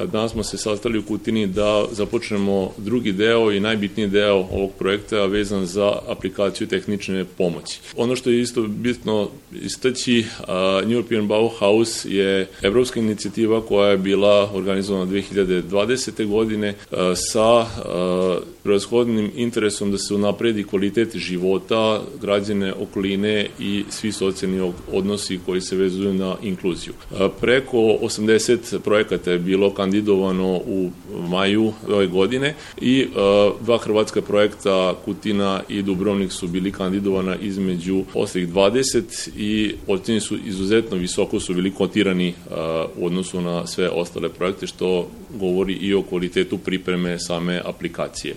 Danas smo se sastali u Kutini da započnemo drugi deo i najbitniji deo ovog projekta vezan za aplikaciju tehnične pomoći. Ono što je isto bitno istaći, New European Bauhaus je evropska inicijativa koja je bila organizovana 2020. godine sa prevashodnim interesom da se unapredi kvalitet života građane okoline i svi socijalni odnosi koji se vezuju na inkluziju. Preko 80 projekata je bilo kandidovano u maju ove godine i dva hrvatska projekta Kutina i Dubrovnik su bili kandidovana između ostalih 20 i ocjeni su izuzetno visoko, su bili kotirani u odnosu na sve ostale projekte, što govori i o kvalitetu pripreme same aplikacije.